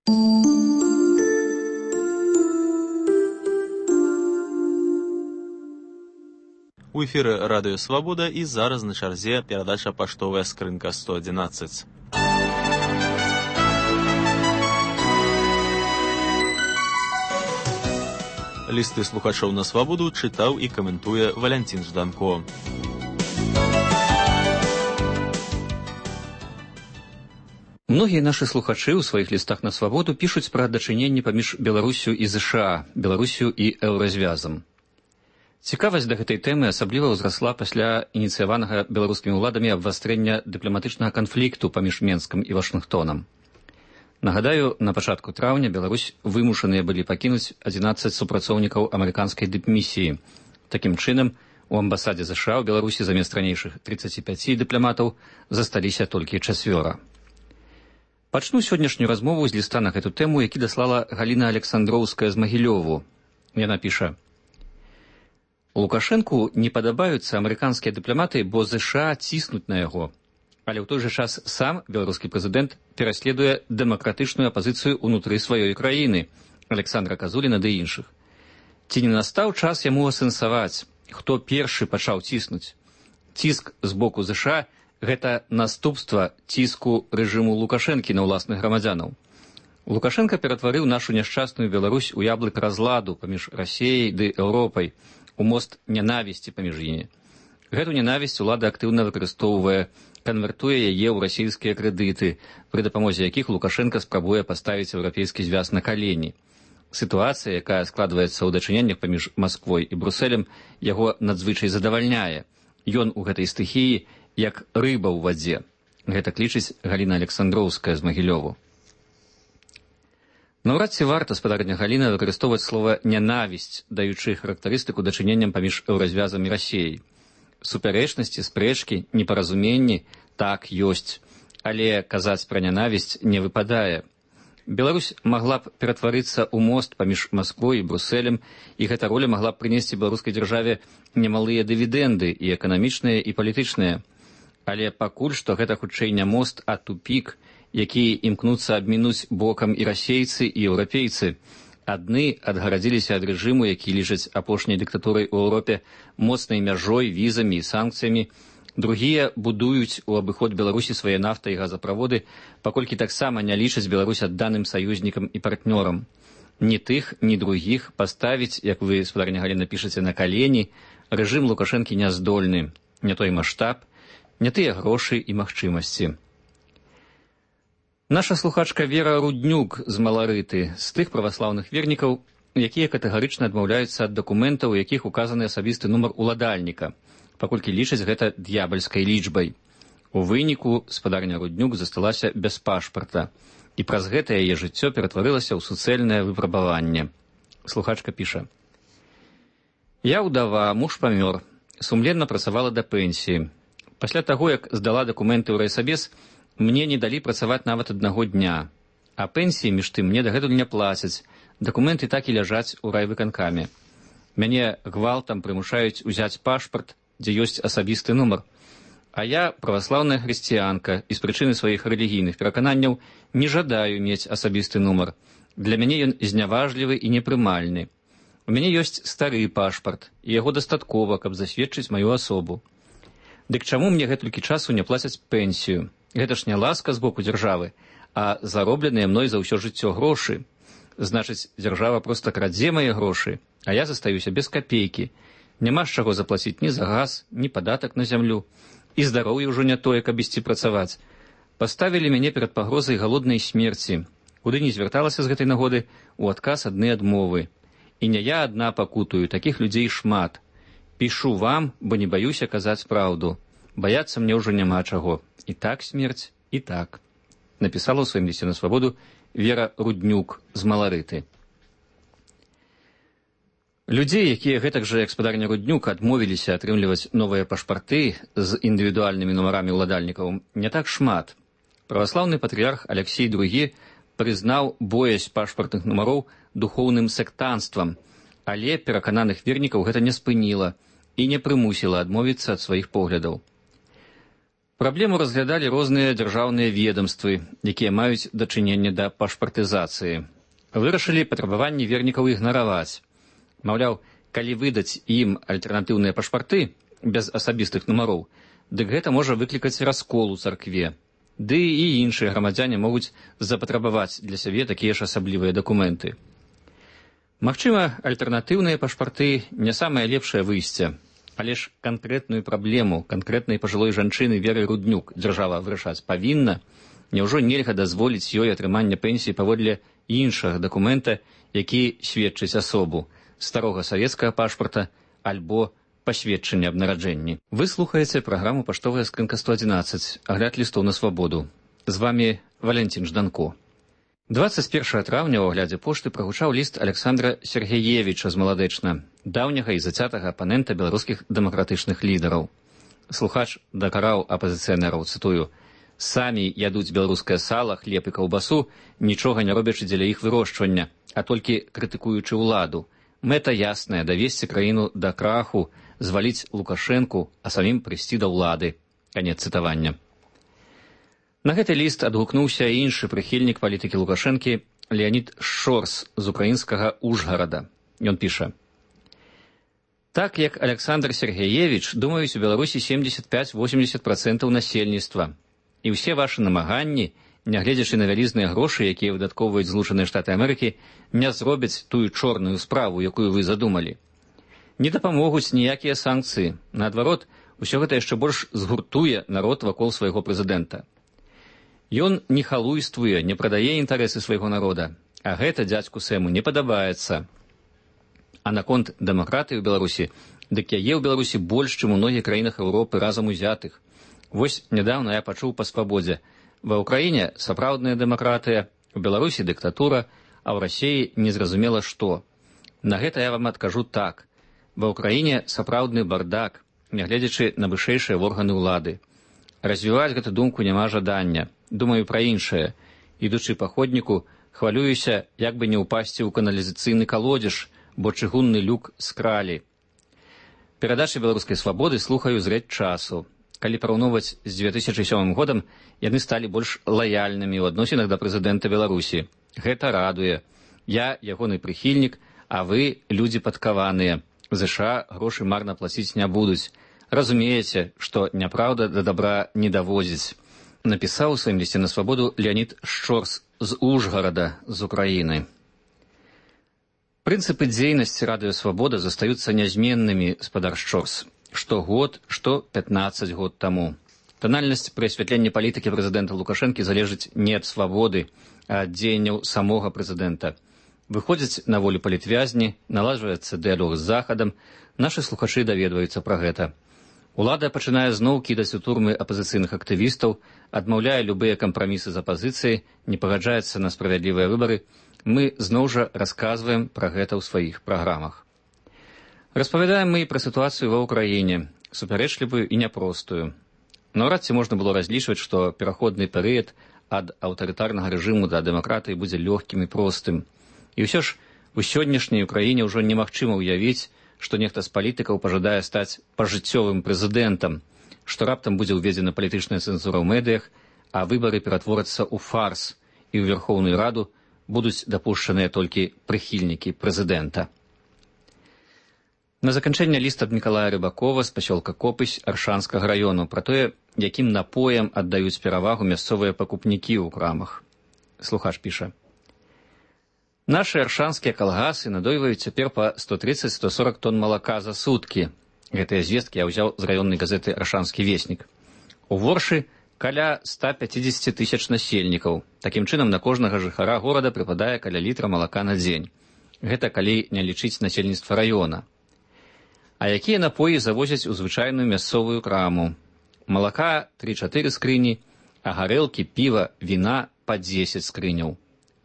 У эфіры Радыё Свабода і зараз на чарзе перадача «Паштовая скрынка 111». Лісты слухачоў на Свабоду чытаў і каментуе Валянцін Жданко. Многія нашы слухачы ў сваіх лістах на Свабоду пішуць пра дачыненні паміж Беларусю і ЗША, Беларусю і еўразвязам. Цікавасць да гэтай тэмы асабліва ўзрасла пасля ініцыяванага беларускімі ўладамі абвастрэння дыпламатычнага канфлікту паміж Менскам і Вашынгтонам. Нагадаю, на пачатку траўня Беларусь вымушаныя былі пакінуць 11 супрацоўнікаў амерыканскай дыпмісіі. Такім чынам, у амбасадзе ЗША ў Беларусі замест ранейшых 35 дыпламатаў засталіся толькі 4. Пачну сённяшнюю размову з ліста на гэту тэму, які даслала Галіна Александроўская з Магілёву. Яна піша: Лукашэнку не падабаюцца амерыканскія дыпламаты, бо ЗША ціснуць на яго. Але ў той жа час сам беларускі прэзідэнт пераследуе дэмакратычную апазіцыю ўнутры сваёй краіны, Александра Казуліна ды іншых. Ці не настаў час яму асэнсаваць, хто першы пачаў ціснуць? Ціск з боку ЗША – гэта наступства ціску рэжыму Лукашэнкі на ўласных грамадзянаў. Лукашенко ператварыў нашу няшчасную Беларусь у яблык разладу паміж Расіяй ды Еўропай, у мост нянавісці паміж імі. Гэту нянавісць улада актыўна выкарыстоўвае, канвертуе яе ў расійскія крэдыты, пры дапамозе якіх Лукашенко спрабуе паставіць еўрапейскі звяз на калені. Сітуацыя, якая складваецца ў дачыненнях паміж Масквой і Брусэлем, яго надзвычай задавальняе. Ён у гэтай стыхіі як рыба ў вадзе. Гэта лічыць Галіна Александроўская з Магілёву. Наўрад ці варта, спадарня Галіна, выкарыстоўваць слова «нянавісць», даючы характарыстыку дачыненням паміж еўразвязам і Расіяй. Супярэчнасці, спрэчкі, непаразуменні так ёсць, але казаць пра нянавісць не выпадае. Беларусь магла б ператварыцца ў мост паміж Масквой і Брусэлем, і гэта роля магла б прынесці беларускай дзяржаве немалыя дывідэнды, і эканамічныя, і палітычныя. Але пакуль што гэта хутчэй не мост, а тупік, якія імкнуцца абмінуць бокам і расейцы, і еўрапейцы. Адны адгарадзіліся ад рэжыму, які лічаць апошняй дыктатурай у Еўропе моцнай мяжой, візамі і санкцыямі. Другія будуюць у абыход Беларусі свае нафта і газаправоды, паколькі таксама не лічаць Беларусь адданым саюзнікам і партнёрам. Ні тых, ні другіх паставіць, як вы, спадарня Галіна, пішаце, на калені, рэжым Лукашэнкі не здольны. Не той маштаб, не тыя грошы і магчымасці. Наша слухачка Вера Руднюк з Маларыты, з тых праваслаўных вернікаў, якія катэгарычна адмаўляюцца ад дакументаў, у якіх указаны асабісты нумар уладальніка, паколькі лічаць гэта д'ябальскай лічбай. У выніку спадарня Руднюк засталася без пашпарта, і праз гэта яе жыццё ператварылася ў суцэльнае выпрабаванне. Слухачка піша: «Я ўдава, муж памёр, сумленна працавала да пенсіі. Пасля таго, як здала дакументы ў райсабес, мне не далі працаваць нават аднаго дня, а пенсіі, між тым, мне дагэтуль не плацяць, дакументы так і ляжаць у райвыканкаме. Мяне гвалтам прымушаюць узяць пашпарт, дзе ёсць асабісты нумар. А я праваслаўная хрысціянка і з прычыны сваіх рэлігійных перакананняў не жадаю мець асабісты нумар. Для мяне ён зняважлівы і непрымальны. У мяне ёсць стары пашпарт, і яго дастаткова, каб засведчыць маю асобу. Дык чаму мне гэтулькі часу не плацяць пенсію? Гэта ж не ласка з боку дзяржавы, а заробленыя мной за ўсё жыццё грошы. Значыць, дзяржава проста крадзе мае грошы, а я застаюся без капейкі. Няма з чаго заплаціць ні за газ, ні падатак на зямлю. І здароўе ўжо не тое, каб ісці працаваць. Паставілі мяне перад пагрозай галоднай смерці. Куды не звярталася з гэтай нагоды, у адказ адны адмовы. І не я адна пакутую, такіх людзей шмат. Пішу вам, бо не баюся казаць праўду. Баяцца мне ўжо няма чаго. І так смерць, і так. Напісала ў сваім лісце на Свабоду Вера Руднюк з Маларыты. Людзей, якія гэтак жа, як спадарня Руднюк, адмовіліся атрымліваць новыя пашпарты з індывідуальнымі нумарамі ўладальнікаў, не так шмат. Праваслаўны патрыярх Алексей II прызнаў боязь пашпартных нумароў духоўным сектанствам, але перакананых вернікаў гэта не спыніла і не прымусіла адмовіцца ад сваіх поглядаў. Праблему разглядалі розныя дзяржаўныя ведомствы, якія маюць дачыненне да пашпартызацыі. Вырашылі патрабаванні вернікаў ігнараваць. Маўляў, калі выдаць ім альтэрнатыўныя пашпарты без асабістых нумароў, дык гэта можа выклікаць раскол у царкве. Ды і іншыя грамадзяне могуць запатрабаваць для сябе такія ж асаблівыя дакументы. Магчыма, альтэрнатыўныя пашпарты не самае лепшае выйсце, але ж канкрэтную праблему канкрэтнай пажылой жанчыны Веры Руднюк дзяржава вырашаць павінна. Няўжо нельга дазволіць ёй атрымання пенсіі паводле іншага дакумента, які сведчыць асобу, старога савецкага пашпарта альбо пасведчання аб нараджэнні. Вы слухаеце праграму «Паштовая скрынка 111», агляд лістоў на свабоду. З вами Валентин Жданко. 21 траўня ў аглядзе пошты прагучаў ліст Александра Сергеевича з Маладэчна, даўняга і зацятага апанента беларускіх дэмакратычных лідараў. Слухач дакараў апазіцыянераў, цытую, «Самі ядуць беларускае сала, хлеб і каўбасу, нічога не робячы дзеля іх вырошчвання, а толькі крытыкуючы ўладу. Мэта ясная – давесці краіну да краху, зваліць Лукашэнку, а самім прыйсці да ўлады». Канец цытавання. На гэты ліст адгукнуўся іншы прыхільнік палітыкі Лукашэнкі Леонід Шорс з украінскага Ужгарада. Ён піша: «Так як Александр Сергеевич, думаюць у Беларусі 75-80% насельніцтва. І ўсе вашы намаганні, нягледзячы на вялізныя грошы, якія выдаткоўваюць Злучаныя Штаты Амерыкі, не зробяць тую чорную справу, якую вы задумалі. Не дапамогуць ніякія санкцыі. Наадварот, усё гэта яшчэ больш згуртуе народ вакол свайго прэзідэнта. Ён не халуйствуе, не прадае інтарэсы свайго народа, а гэта дзядзьку Сэму не падабаецца. А наконт дэмакратыі ў Беларусі, дык яе ў Беларусі больш, чым у многіх краінах Еўропы разам узятых. Вось нядаўна я пачуў па свабодзе. Ва ўкраіне сапраўдная дэмакратыя, у Беларусі дыктатура, а ў Расіі незразумела што. На гэта я вам адкажу так. Ва ўкраіне сапраўдны бардак, нягледзячы на вышэйшыя органы ўлады. Развіваць гэту думку няма жадання. Думаю пра іншае. Ідучы па ходніку, хвалююся, як бы не ўпасці ў каналізацыйны калодзеж, бо чыгунны люк скралі. Перадачы беларускай свабоды слухаю з рэч часу. Калі параўноўваць з 2007 годам, яны сталі больш лаяльнымі ў адносінах да прэзідэнта Беларусі. Гэта радуе. Я ягоны прыхільнік, а вы людзі падкаваныя. ЗША грошы марна плаціць не будуць. Разумееце, што няпраўда да дабра не давозіць. Напісаў у сваім лісце на свабоду Леонід Шорс з Ужгарада, з Украіны. Прынцыпы дзейнасці радыё «Свабода» застаюцца нязменнымі, спадар Шорс. Што год, што 15 год таму. Танальнасць пры асвятленні палітыкі прэзідэнта Лукашэнкі залежыць не ад свабоды, а ад дзеянняў самога прэзідэнта. Выходзяць на волю палітвязні, наладжваецца дыялог з Захадам, нашы слухачы даведваюцца пра гэта. Улада пачынае зноў кідаць у турмы апазіцыйных актывістаў, адмаўляе любыя кампрамісы з апазіцыяй, не пагаджаецца на справядлівыя выбары. Мы зноў жа расказваем пра гэта ў сваіх праграмах. Распавядаем мы і пра сітуацыю ва ўкраіне, супярэчлівую і няпростую. Наўрад ці можна было разлічваць, што пераходны перыяд ад аўтарытарнага рэжыму да дэмакратыі будзе лёгкім і простым. І ўсё ж у сённяшняй Украіне ўжо немагчыма ўявіць, што нехта з палітыкаў пажадае стаць пажыццёвым прэзідэнтам, што раптам будзе ўведзена палітычная цэнзура ў медыях, а выбары ператворацца ў фарс, і ў Верхоўную Раду будуць дапушчаныя толькі прыхільнікі прэзідэнта. На заканчэнне ліст ад Мікалая Рыбакова з пасёлка Копысь Аршанскага раёну пра тое, якім напоям аддаюць перавагу мясцовыя пакупнікі ў крамах. Слухач піша: «Нашы аршанскія калгасы надойваюць цяпер па 130-140 тонн малака за суткі. Гэтыя звесткі я ўзяў з раённай газеты «Аршанскі веснік». У Воршы каля 150 тысяч насельнікаў. Такім чынам на кожнага жыхара горада прыпадае каля літра малака на дзень. Гэта калі не лічыць насельніцтва раёна. А якія напоі завозяць у звычайную мясцовую краму? Малака 3-4 скрыні, а гарэлкі, піва, віна па 10 скрыняў.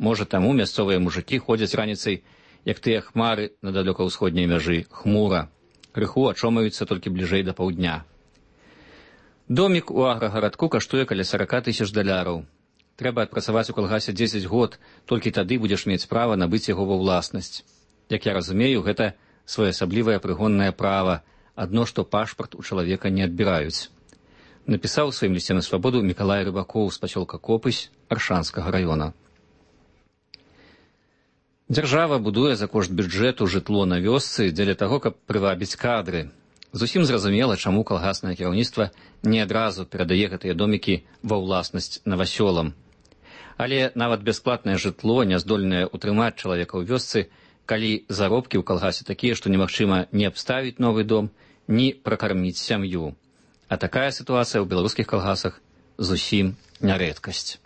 Можа, таму мясцовыя мужыкі ходзяць раніцай, як тыя хмары на далёка-ўсходняй мяжы, хмура. Крыху ачомаюцца толькі бліжэй да паўдня. Домік у аграгарадку каштуе каля 40 тысяч даляраў. Трэба адпрацаваць у калгасе 10 год, толькі тады будзеш мець права набыць яго ва ўласнасць. Як я разумею, гэта своеасаблівае прыгоннае права, адно што пашпарт у чалавека не адбіраюць. напісаў у сваім лісце на свабоду Мікалай Рыбакоў з пасёлка Копысь Аршанскага раёна. Дзяржава будуе за кошт бюджэту жытло на вёсцы дзеля таго, каб прывабіць кадры. Зусім зразумела, чаму калгаснае кіраўніцтва не адразу перадае гэтыя домікі ва ўласнасць навасёлам. Але нават бясплатнае жытло не здольнае ўтрымаць чалавека ў вёсцы, калі заробкі ў калгасе такія, што немагчыма ні абставіць новы дом, ні пракарміць сям'ю. А такая сітуацыя ў беларускіх калгасах зусім не рэдкасць.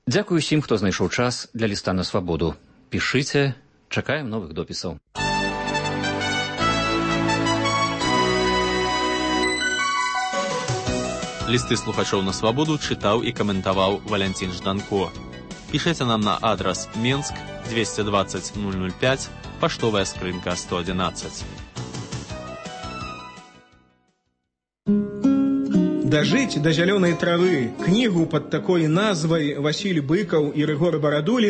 Дзякую усім, хто знайшоў час для ліста на свабоду. Пішыце, чакаем новых допісаў. Лісты слухачоў на свабоду чытаў і каментаваў Валянцін Жданко. Пішыце нам на адрас Менск 220 005, паштовая скрынка 111. «Дажыць да зялёнай травы» кнігу пад такой назвай Васіль Быкаў і Рыгор Барадулін